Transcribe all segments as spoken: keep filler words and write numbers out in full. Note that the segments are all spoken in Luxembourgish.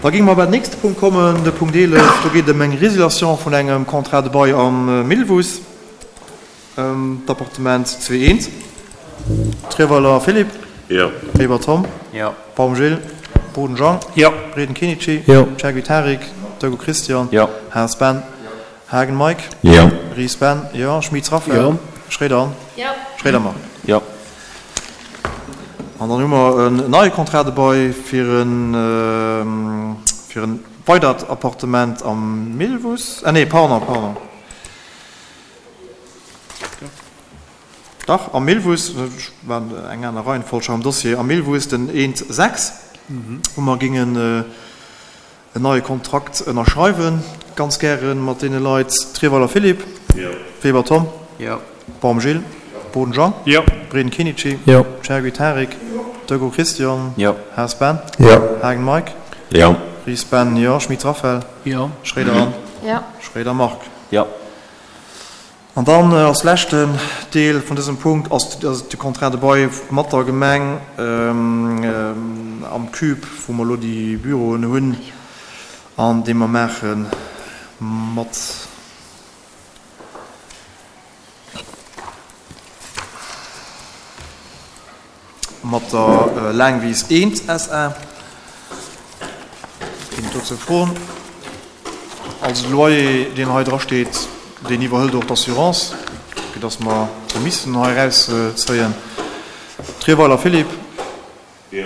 Da géinge mer bei den nächste Punkt kommen, de Punkt eelef. Do geet et ëm eng Résiliation vun engem Contrat de bail am Millwuss, ëm d'Appartement zwee eent. Trierweiler Philippe. Jo. Weber Tom. Jo. Baum Gilles. Boden Jean. Jo. Reden Kenichi. Jo. Chergui Tarik. Deugau Christian. Jo. Haas Ben. Haagen Mike. Jo. Ries Ben. Jo. Schmitz Raphaël. Jo. Schroeder Anne. Jo. Schroeder Marc. Jo. An dann hu mer en neie Contrat de bail fir en, fir en weidert Appartement am Millwuss. Ah nee, pardon, pardon. Dach, am Millwuss, ech war eng aner Reihenfolg am Dossier, am Millwuss den eent sechs, wou mer géingen en neie Kontrakt ënnerschreiwen, ganz gäre mat deene Leit. Trierweiler Philippe. Jo. Weber Tom. Jo. Baum Gilles. Boden Jean. Jo. Breden Kenichi. Jo. Chergui Tarik. Deugau Christian. Jo. Haas Ben. Jo. Haagen Mike. Jo. Ries Ben, jo. Schmitz Raphaël. Jo. Schroeder Anne. Jo. Schroeder Marc. Jo. An dann als leschten Deel vun dësem Punkt ass de Contrat de bail mat der Gemeng am Cube, wou mer elo déi Büroen hunn an dee mer maache mat mat der Laangwies eent S A. Ginn et dozou Froen? Also de Loyer, deen hei drasteet, deen iwwerhëlt och d'Assurance, fir datt mer do missen hei erauszéien. Trierweiler Philippe. Jo.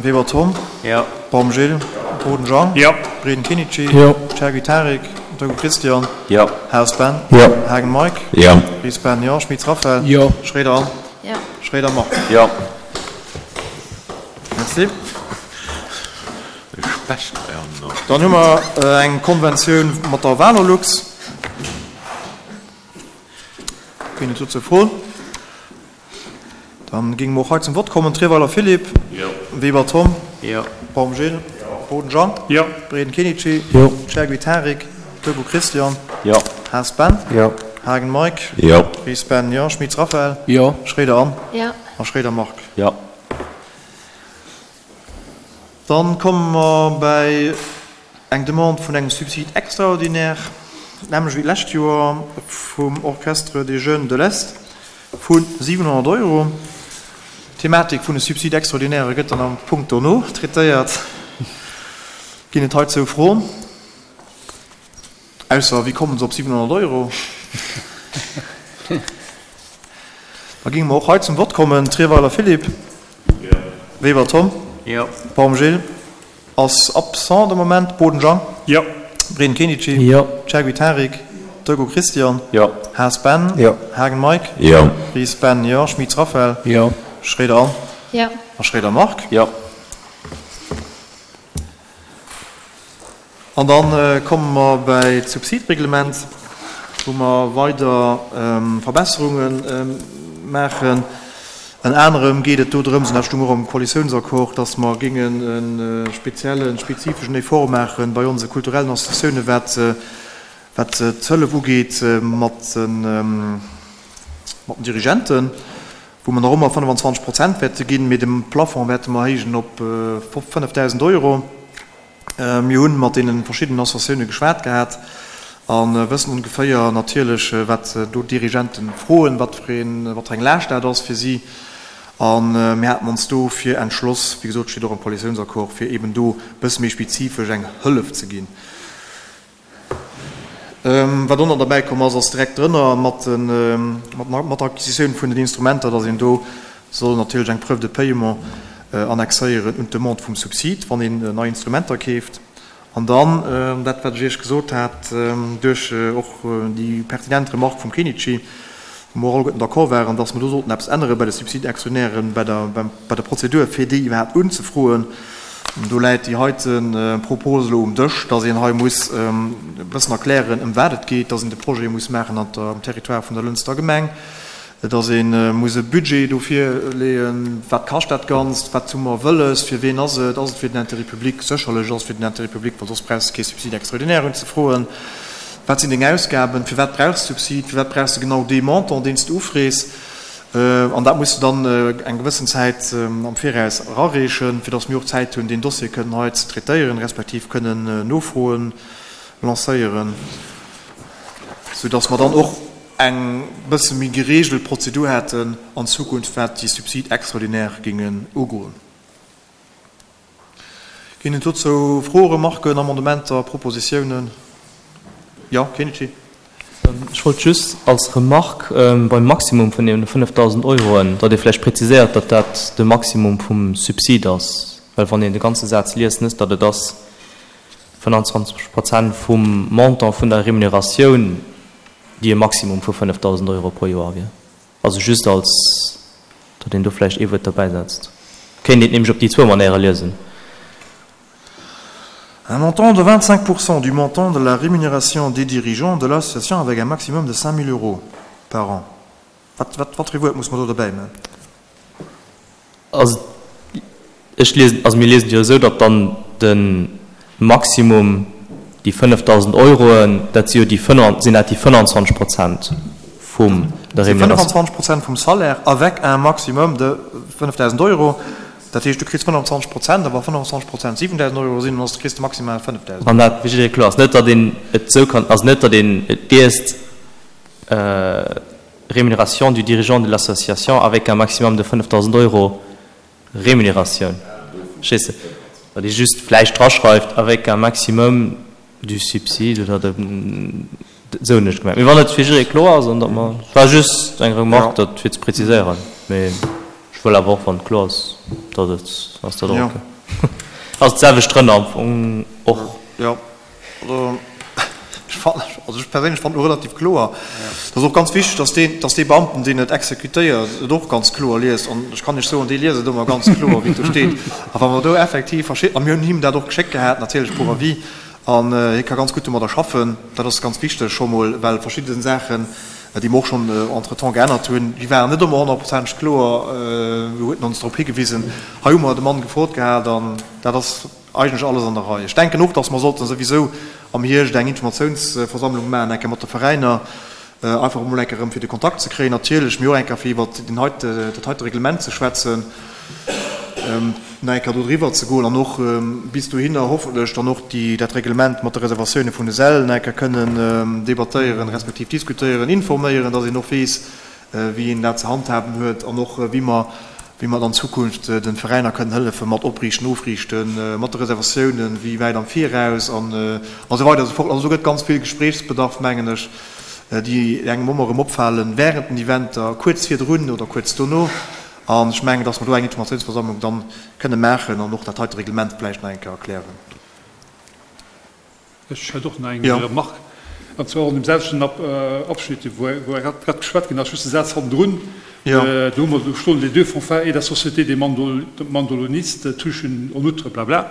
Weber Tom. Jo. Baum Gilles. Boden Jean. Jo. Breden Kenichi. Jo. Chergui Tarik. Deugau Christian. Jo. Haas Ben. Jo. Haagen Mike. Jo. Ries Ben, jo. Schmitz Raphaël. Jo. Schroeder Anne. Jo. Schroeder Marc. Jo. Merci. Specht hei an. Dann hu mer eng Konventioun mat der Valorlux. Ginn et dozou Froen? Dann géinge mer och hei zum Vott kommen. Trierweiler Philippe. Jo. Weber Tom. Jo. Baum Gilles. Boden Jean. Jo. Breden Kenichi. Jo. Chergui Tarik. Deugau Christian. Jo. Haas Ben. Jo. Haagen Mike. Jo. Ries Ben, jo. Schmitz Raphaël. Jo. Schroeder Anne. Jo. A Schroeder Marc. Jo. Dann komme mer bäi eng Demande vun engem Subside extraordinaire, nämlech wéi d'lescht Joer vum Orchestre des Jeunes de l'Est vu siwenhonnert Euro. D'Thematik vun de Subside extraordinaire gëtt dann am Punkt dono traitéiert. Ginn et heizou Froen? Ausser, wéi kommen se op siwenhonnert Euro? Da géinge mer och hei zum Vott kommen. Trierweiler Philippe. Jo. Weber Tom. Jo. Baum Gilles ass absent de Moment. Boden Jean. Jo. Breden Kenichi. Jo. Chergui Tarik. Deugau Christian. Jo. Haas Ben. Jo. Haagen Mike. Jo. Ries Ben, jo. Schmitz Raphaël. Jo. Schroeder Anne. Jo. A Schroeder Marc. Jo. An dann komme mer bäi d'Subsidreglement, wou mer weider Verbesserunge maachen. Ënner anerem geet et do drëms, an dat stoung och am Koalitiounsaccord, dass mer géingen e speziellen, spezifeschen Effort maache bei onse kulturellen Associatiounen, wat, wat d'Hëllef ugeet mat den, mat den Dirigenten, wou mer nach ëmmer fënnefenzwanzeg Prozent wäerte ginn, mee de Plafond wäerte mer erhéijen op fënnefdausend Euro. Mir hunn mat deene verschiddenen Associatioune geschwat gehat a wëssen ongeféier natierlech, wat do d'Dirigenten froen, wat fir een, wat fir eng Laascht dat ass fir si. A mir haten ons dofir entschloss, wéi gesot, steet och am Koalitiounsaccord, fir eben do e bësse méi spezifesch eng Hëllef ze ginn. Wat och nach derbäi komm ass, ass direkt drënner mat den, mat, mat der Acquisitioun vun den Instrumenter, datt een do soll natierlech eng Preuve de paiement annexéieren un d'Demande vum Subsid, wann een nei Instrumenter keeft. An dann, dat wat ech Iech gesot hat, duerch och déi pertinent Remarque vum Kenichi, wou mer alleguerten d'accord waren, dass mer do sollten eppes ännere bei de Subside-Actionnairen, bei der, beim, bei der Prozedur, fir déi iwwerhaapt unzefroen. Do läit déi heite Propos elo um Dësch, dass een hei muss e bëssen erklären, ëm wat et geet, dass een de Projet muss maachen an der, am Territoire vun der Lënster Gemeng, dass ee muss e Budget do virleeën, wat kascht dat Ganzt, wat hu mer wëlles, fir wien ass et, ass et fir den Intérêt public, sécherlech ass et fir den Intérêt public, well soss brauchs de kee Subside extraordinaire unzefroen, wat sinn deng Ausgaben, firwat brauchs de Subsid, firwat brauchs de genau dee Montant, deen s de ufrees. An dat muss de dann eng gewëssen Zäit am Viraus erareechen, fir dass mir och Zäit hunn, deen Dossier kënnen hei ze traitéieren, respektiv kënnen Nofroen lancéieren, soudass mer dann och eng bësse méi geregelt Prozedur hätten an Zukunft, wat déi Subsides extraordinaires géingen ugoen. Ginn et dozou Froen, Remarken, Amendementer, Propositiounen? Jo, Kenichi. Ech wollt just als Remarque beim Maximum vun deene fënnefdausend Euroen, datt ee vläicht präziséiert, datt dat de Maximum vum Subsid ass, well wann een de ganze Saz liest, net datt et ass fënnanzwanzeg Prozent vum Montant vun der Remuneratioun, déi e Maximum vu fënnefdausend Euro pro Joer wier. Also just als, datt een do vläicht ee Wuert derbäisetzt. Kéint een et nämlech op déi zwou Manéiere liesen. Un montant de vingt-cinq pour cent du montant de la rémunération des dirigeants de l'association avec un maximum de cinq mille euros par an. Wat, wat, wat fir ee Wuert muss mer do derbäi man? Also ech liesen, also mir liesen et jo esou, datt dann de Maximum déi fënnefdausend Euroen, dat si jo déi fënn-, sinn dat déi fënnanzwanzeg Prozent vum der Dat si Rémunération. fënnanzwanzeg Prozent vum Salaire avec un maximum de fënnefdausend Euro. Dat heescht, du kriss fënnanzwanzeg Prozent, a wa fënnanzwanzeg Prozent siwendausend Euro sinn, dann kriss de maximal fënnefdausend. Wann dat fir jidderee kloer ass, net datt een et esou kann, also net datt een et liest, Rémunération du dirigeant de l'association avec un maximum de fënnefdausend Euro Rémunératioun, verstees de? Datt ee just vläicht draschreift avec un maximum du subside oder de, esou hunn ech et gemengt. Mee wann et fir jidderee kloer ass, an datt mer, et war just eng Remarque, dat fir ze präziséieren, mee. Ech wëll awer och, wann et kloer ass, datt et ass dat och ok. Ass d'selwecht drënner am Fong och. Jo, also ech fannen, also ech perséinlech fannen et relativ kloer. Et ass och ganz wichteg, datt deen, datt dee Beamten, deen et exekutéiert, et och ganz kloer liest. An ech kann Iech soen, dee liest et ëmmer ganz kloer, wéi et do steet. A wa mer do effektiv verschidden, a mir hunn him dat och geschéckt gehat natierlech pour avis, an hie ka ganz gutt domadder schaffen. Dat ass ganz wichteg scho mol, well verschidde Saachen, déi mer och schonn entretemps geännert hunn, déi waren net ëmmer honnertprozenteg kloer, do huet en ons drop higewisen. Hei hu mer de Mann gefrot gehat an dat ass eigentlech alles an der Rei. Ech denken och, dass mer sollten souwisou am Hierscht eng Informatiounsversammlung maachen, eng Kéier mat de Veräiner, einfach emol eng Kéier erëm fir de Kontakt ze kréien natierlech, mee och eng Kéier fir iwwert deen heite, dat heite Reglement ze schwätzen. nach eng Kéier do driwwer ze goen an och bis dohinner hoffentlech dann och déi, dat Reglement mat de Reservatioune vun de Säll nach eng Kéier kënnen debattéieren, respektiv diskutéieren, informéieren, dass een och weess, wéi een dat ze handhaben huet an och wéi mer, wéi mer an Zukunft de Veräiner kënnen hëllefe mat Opriichten, Ofriichten, mat de Reservatiounen, wéi wäit am Viraus an esou weider a sou fort. Also do gëtt ganz vill Gespréichsbedarf, mengen ech, déi engem ëmmer erëm opfalen während den Eventer, kuerz virdrun oder kuerz dono. An ech mengen, dass mer do eng Informatiounsversammlung dann kënne maachen an och dat heite Reglement vläicht nach eng Kéier erklären. Ech hätt och nach eng Remarque, an zwar och an deem selwechten Abschnitt, wou grad geschwat ginn ass, just de Saz hannendrun. Do hu mer do stoen, Les deux fanfares et la Société des mandolinistes touchent en outre blabla.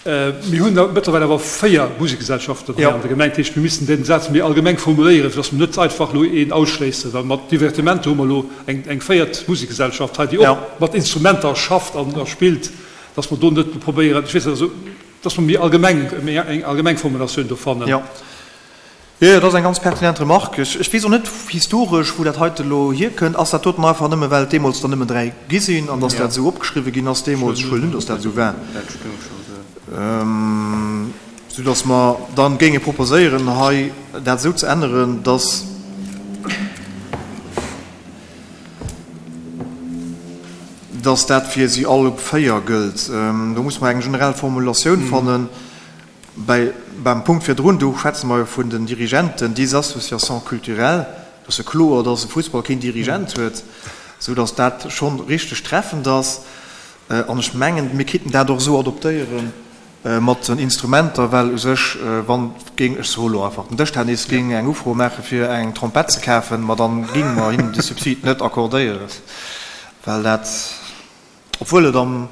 Mir hunn mëttlerweil awer véier Musekgesellschaften hei an der Gemeng. Dat heescht, mir missten deen Saz méi allgemeng formuléieren, fir datt mer net einfach elo een ausschléissen. Well mat Divertimento hu mer elo eng véiert Musekgesellschaft hei, déi och mat Instrumenter schafft a spillt, datt mer do net probéieren, ech weess net, also datt mer méi allgemeng, méi eng allgemeng Formulatioun do fannen. Jo, jo, dat ass eng ganz pertinent Remarque. Ech weess och net historesch, wou dat heite elo hierkënnt. Ass dat doten einfach nëmme, well et deemools der nëmmen dräi gi sinn an datt dat esou opgeschriwwen ginn ass deemools? Ech huelen un, datt dat esou war. Soudass mer dann géinge proposéieren, hei dat esou ze änneren, dass dass dat fir si all véier gëllt. Do muss mer eng generell Formulatioun fannen. Bäi, beim Punkt virdrun, do schwätze mer jo vun den Dirigenten des associations culturelles. Do ass jo kloer, dass e Fussball keen Dirigent huet, soudass dat schonn richteg treffend ass. An ech mengen, mir kinnten dat och esou adoptéiere mat den Instrumenter, well u sech, wann géing, ech soe lo einfach, den Dëschtennis géing eng Ufro maache fir eng Trompett ze kafen, ma dann géinge mer hinnen de Subsid net accordéieren, well dat, obwuel et am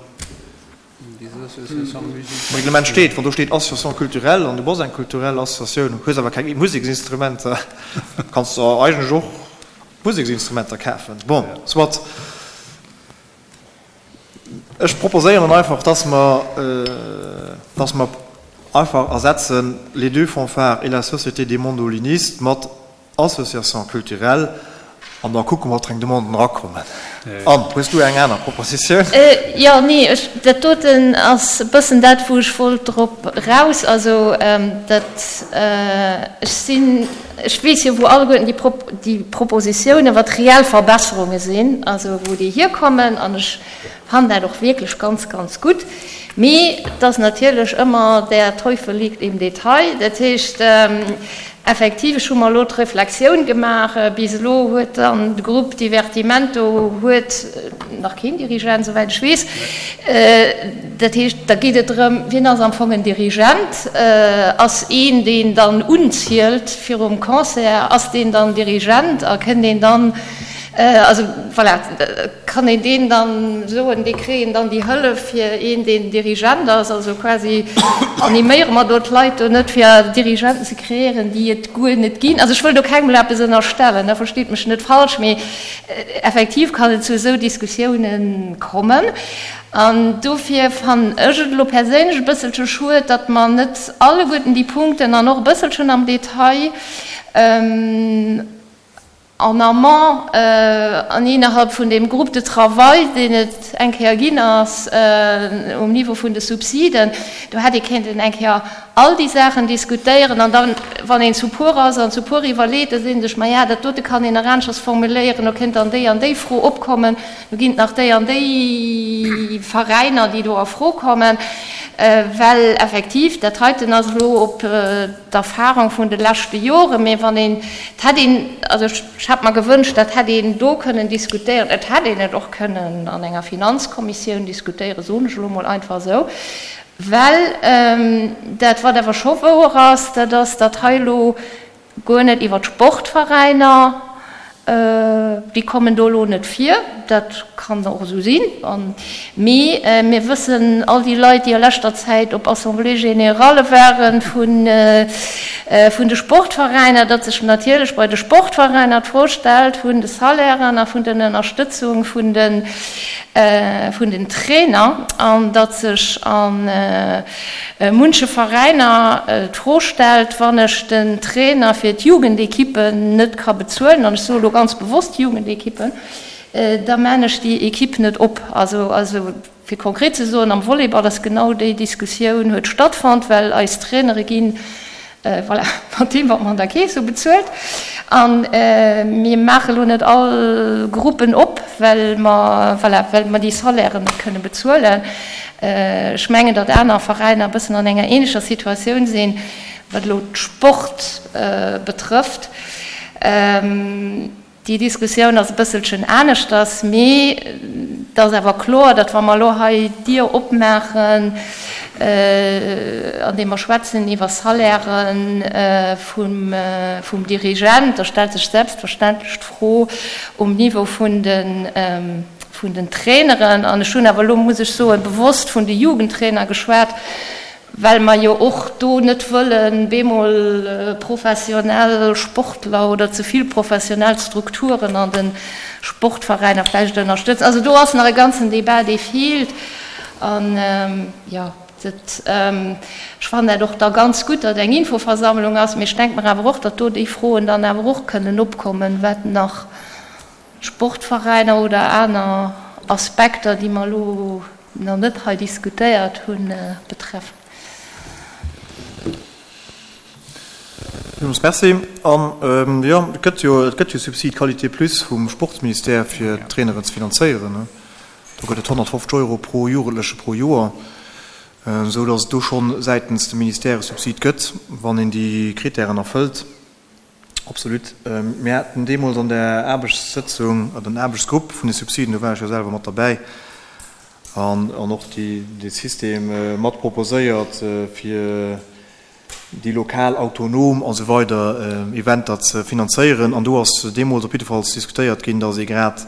Reglement steet, wann do steet Association culturelle an du bass eng kulturell Associatioun, hues awer keng Museksinstrumenter, kanns de eigentlech och Museksinstrumenter kafen. Bon, soit. Ech proposéieren einfach, dass mer, dass mer einfach ersetzen les deux fanfares et la Société des mandolinistes mat Associations culturelles An da kucke mer, wat fir eng Demanden erakommen. Anne, hues du eng aner Propositioun? Jo, nee, ech, dat doten ass e bëssen dat, wou ech wollt drop raus. Also dat, ech sinn, ech weess jo, wou alleguerten déi Pro-, déi Propositiounen, wat reell Verbesserunge sinn, also wou déi hierkommen, an ech fannen dat och wierklech ganz, ganz gutt. Mee et ass natierlech ëmmer, der Teufel liegt im Detail. Dat heescht, effektiv, ech hu mer elo d'Reflexioun gemaach, bis elo huet dann de Grupp Divertimento huet nach keen Dirigent, souwäit ech weess. Dat heescht, da geet et drëm, wien ass am Fong en Dirigent? Ass een, deen dann unzielt virum Concert, ass deen dann Dirigent a kënnt deen dann, also voilà, kann een deen dann soen, dee kréien dann déi Hëllef fir een, deen Dirigent ass, also quasi animéiere mer do d'Leit do net fir Dirigenten ze kreéieren, déi et guer net ginn. Also ech wëll do kengem eppes ënnerstellen, ne, versteet mech net falsch, mee effektiv kann et zu esou Diskussiounen kommen. An dofir fannen ech et elo perséinlech e bësselche schued, datt mer net alleguerten déi Punkten an och e bësselchen am Detail en amont an innerhalb vun deem Groupe de travail, deen et eng Kéier ginn ass um Niveau vun de Subsiden, do hätt ee kéinten eng Kéier all déi Saachen diskutéieren an dann, wann een zu puer ass an zu puer iwwerleet, da seet ee sech, maja, dat dote kann een nach aneschters formuléieren, do kéint dann déi an déi Fro opkommen, do ginn et nach déi an déi Veräiner, déi do a Fro kommen, well effektiv dat heiten ass elo op d'Erfahrung vun de leschte Joren, mee wann een, et hätt een, also ech hätt mer gewënscht, dat hätt een do kënnen diskutéieren, et hätt een et och kënnen an enger Finanzkommissioun diskutéieren, soen ech elo mol einfach esou, well dat, wat awer scho wouer ass, dat ass, datt hei elo guer net iwwer d'Sportveräiner, déi kommen do elo net vir, dat kann och esou sinn, mee mir wëssen, all déi Leit, déi a leschter Zäit op Assemblées générales waren vun de Sportveräiner, datt sech natierlech bei de Sportveräiner d'Fro stellt vun de Salairen a vun den Ënnerstëtzung vun den vun den Trainer, an datt sech a munche Veräiner d'Fro stellt, wann ech den Trainer fir d'Jugendekippen net ka bezuelen, an ech soe lo ganz bewosst Jugendekippen, da man ech déi Ekipp net op. Also, also fir konkret ze soen, am Volleyball ass genau déi Diskussioun huet stattfonnt, well eis Trainere ginn, voilà, mat deem, wat mer an der Keess hu bezuelt. A mir maache lo net all Gruppen op, well mer, voilà, well mer déi Salairen net kënne bezuelen. Ech mengen, datt aner Veräiner e bëssen an enger ähnlecher Situatioun sinn, wat elo d'Sport betrëfft. Déi Diskussioun ass e bësselchen aneschters, mee et ass awer kloer, datt wa mer elo hei d'Dier opmaachen, andeem mer schwätzen iwwer Salairen vum, vum Dirigent, da stellt sech selbstverständlech d'Fro um Niveau vun den, vun den Traineren. An ech hunn awer elo, muss ech soen, bewosst vun de Jugendtrainer geschwat, well mer jo och do net wëllen bemol professionell Sportler oder ze vill professionell Strukturen an de Sportveräiner vläicht ënnerstëtzen. Also do ass nach e ganzen Débat, dee feelt. An, jo, dat, ech fannen dat och da ganz gutt, datt eng Infoversammlung ass, mee ech denke mer awer och, datt do déi Froen dann awer och kënnen opkommen, wat nach Sportveräiner oder aner Aspekter, déi mer elo nach net hei diskutéiert hunn, betreffen. Villmools Merci. An, jo, et gëtt jo, et gëtt jo Subside Qualité Plus vum Sportsministère, fir d'Traineren ze finanzéieren. Do gëtt et honnertfofzeg Euro pro Jugendleche pro Joer, esou datt et do schonn säitens dem Ministère e Subsid gëtt, wann een déi Kritären erfëllt. Absolut. Mir haten deemools an der Aarbechtssëtzung, an den Aarbechtsgrupp vun de Subsiden, do war ech jo selwer mat derbäi, an och dee System mat proposéiert, fir déi lokal, autonom a sou weider Eventer ze finanzéieren. An do ass deemools op jiddefalls diskutéiert ginn, datt ee grad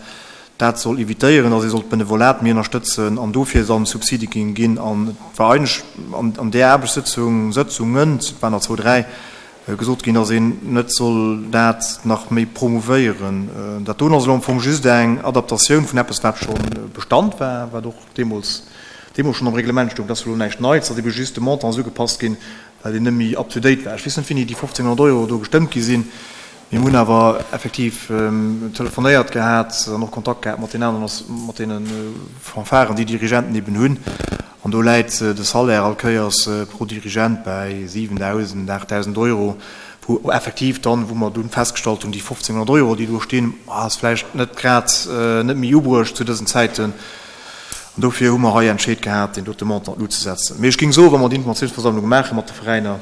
dat soll evitéieren, datt ee soll d'Benevolat méi ënnerstëtzen an dofir dann Subside géing ginn. An et war eigentlech an där Aarbechtssëtzung, Sëtzungen, et waren der zwou, dräi, gesot ginn, datt een net soll dat nach méi promouvéieren. Dat doen ass elo am Fong just eng Adaptatioun vun eppes, wat scho Bestand war, wat och deemools deemools schonn am Reglement stoung. Dat ass elo näischt Neits, ass ebe just de Montant ass ugepasst ginn, well deen net méi up to date war. Ech weess net, wéini déi fofzénghonnert Euro do gestëmmt gi sinn. Mir hunn awer effektiv telefonéiert gehat an och Kontakt gehat mat den aneren, mat deene Fanfaren, déi Dirigenten eben hunn. An do läit de Salaire all Kéiers pro Dirigent bäi siwendausend, aachtdausend Euro, wou effektiv dann, wou mer dunn festgestallt hunn, déi fofzénghonnert Euro, déi do stinn, ass vläicht net grad, net méi ubruecht zu dësen Zäiten. An dofir hu mer hei entscheet gehat, deen dote Montant uzesetzen. Mee ech géing soen, wa mer déi Informatiounsversammlung maache mat de Veräiner,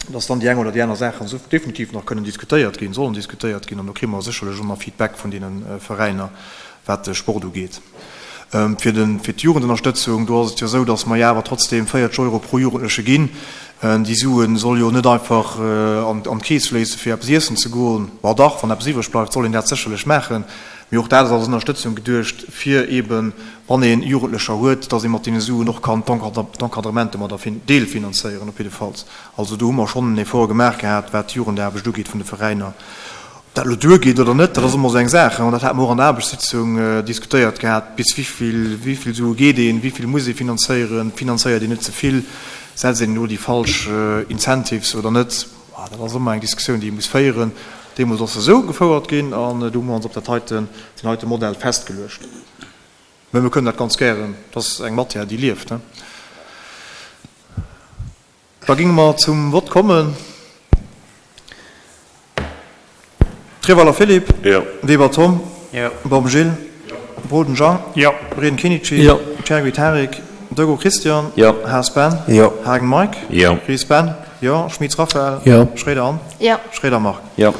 dass dann déi eng oder déi aner Saachen definitiv nach kënnen diskutéiert ginn, sollen diskutéiert ginn, an do kréie mer sécherlech och nach Feedback vun deene Veräiner, wat de Sport ugeet. Fir de, fir d'Jugendënnerstëtzung, do ass et jo esou, dass mer jo awer trotzdem véierzeg Euro pro Jugendleche ginn. Déi Sue soll jo net einfach an, an d'Keess fléisse fir eppes iessen ze goen. Bon dach, wann eppes iwwreg bleift, soll een dat sécherlech maachen. Mee och dat ass als Ënnerstëtzung geduecht, fir eeben, wann ee Jugendlecher huet, dass ee mat deene Suen och kann d'Encadrement domadder deelfinanzéieren op jiddefalls. Also do hu mer schonn en Effort gemaach gehat, wat d'Jugendaarbecht ugeet vun de Veräiner. Ob dat elo duergeet oder net, dat ass ëmmer esou eng Saach. An dat hate mer och an der Aarbechtssitzung diskutéiert gehat, bis wéi vill Sue geet een, wéi vill muss ee finanzéieren, finanzéiert een net ze vill, setzt een elo déi falsch Incentives oder net. Dat ass ëmmer eng Diskussioun, déi ee muss féieren. Deemools ass se esou gefouert ginn an do hu mer ons op dat heiten, deen heite Modell festgeluecht. Mä mir kënnen dat ganz gären, dat ass eng Matière, déi lieft. Da géinge mer zum Vott kommen. Treweiler Philippe. Jo. Weber Tom. Jo. Baum Gilles. Jo. Boden Jean. Jo. Breden Kinichi. Jo. Chergui Tarik. Dego Christian. Jo. Haas Ben. Jo. Haagen Mike. Jo. Ries Ben. Jo. Schmitz Raphaël. Jo. Schroeder Anne. Jo. Schroeder Marc. Jo.